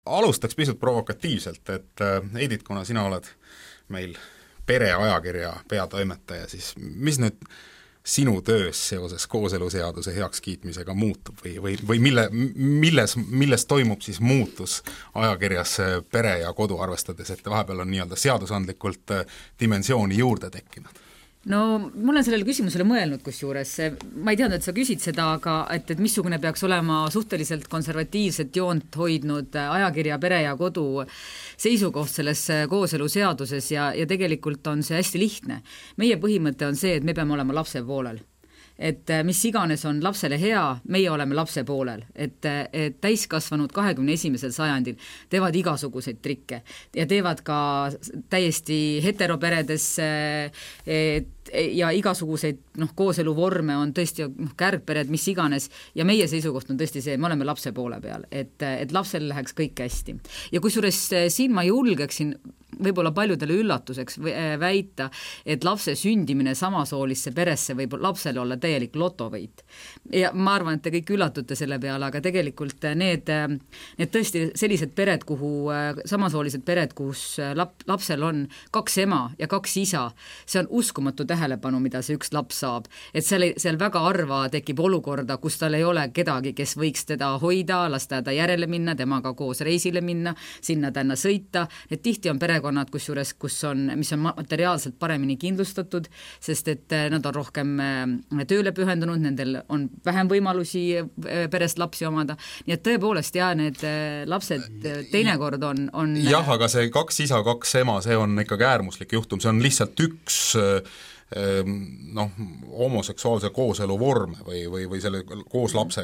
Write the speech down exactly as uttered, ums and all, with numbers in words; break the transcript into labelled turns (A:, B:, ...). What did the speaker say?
A: Alustaks pisut provokatiivselt, et Heidit, kuna sina oled meil pereajakirja peatoimetaja, siis mis nüüd sinu töös seoses kooseluseaduse heakskiitmisega muutub või, või, või mille, milles, milles toimub siis muutus ajakirjas Pere ja Kodu, arvestades, et vahepeal on nii-öelda seadusandlikult dimensiooni juurde tekkinud?
B: No ma olen sellele küsimusele mõelnud kusjuures, ma ei teadnud, et sa küsid seda, aga et, et missugune peaks olema suhteliselt konservatiivset joont hoidnud ajakirja Pere ja Kodu seisukoht selles kooseluseaduses ja, ja tegelikult on see hästi lihtne. Meie põhimõte on see, et me peame olema lapse poolel. Et mis iganes on lapsele hea, meie oleme lapse poolel, et, et täiskasvanud kahekümne esimesel sajandil teevad igasuguseid trikke ja teevad ka täiesti heteroperedes et, ja igasuguseid noh, kooseluvorme on tõesti noh, kärgpered, mis iganes ja meie seisukoht on tõesti see, me oleme lapse poole peal, et, et lapsel läheks kõik hästi. Ja kusjuures siin ma julgeksin võib-olla paljudele üllatuseks väita, et lapse sündimine samasoolisse peresse võib lapsele olla täielik lotovõit. Ja ma arvan, et te kõik üllatute selle peale, aga tegelikult need, need tõesti sellised pered, kuhu samasoolised pered, kus lap, lapsel on kaks ema ja kaks isa, see on uskumatu tähelepanu, mida see üks laps saab. Et seal, seal väga harva tekib olukorda, kus tal ei ole kedagi, kes võiks teda hoida, lasta ta järele minna, temaga koos reisile minna, sinna tänna sõita. Et tihti on perekonnad, kusjuures, kus on, mis on materiaalselt paremini kindlustatud, sest et nad on rohkem tööle pühendunud, nendel on vähem võimalusi perest lapsi omada. Nii et tõepoolest, jah, need lapsed teinekord on... on
A: jah, aga see kaks isa, kaks ema, see on ikkagi äärmuslik juhtum, see on lihtsalt üks noh, homoseksuaalse kooselu vorme või, või, või selle koos lapse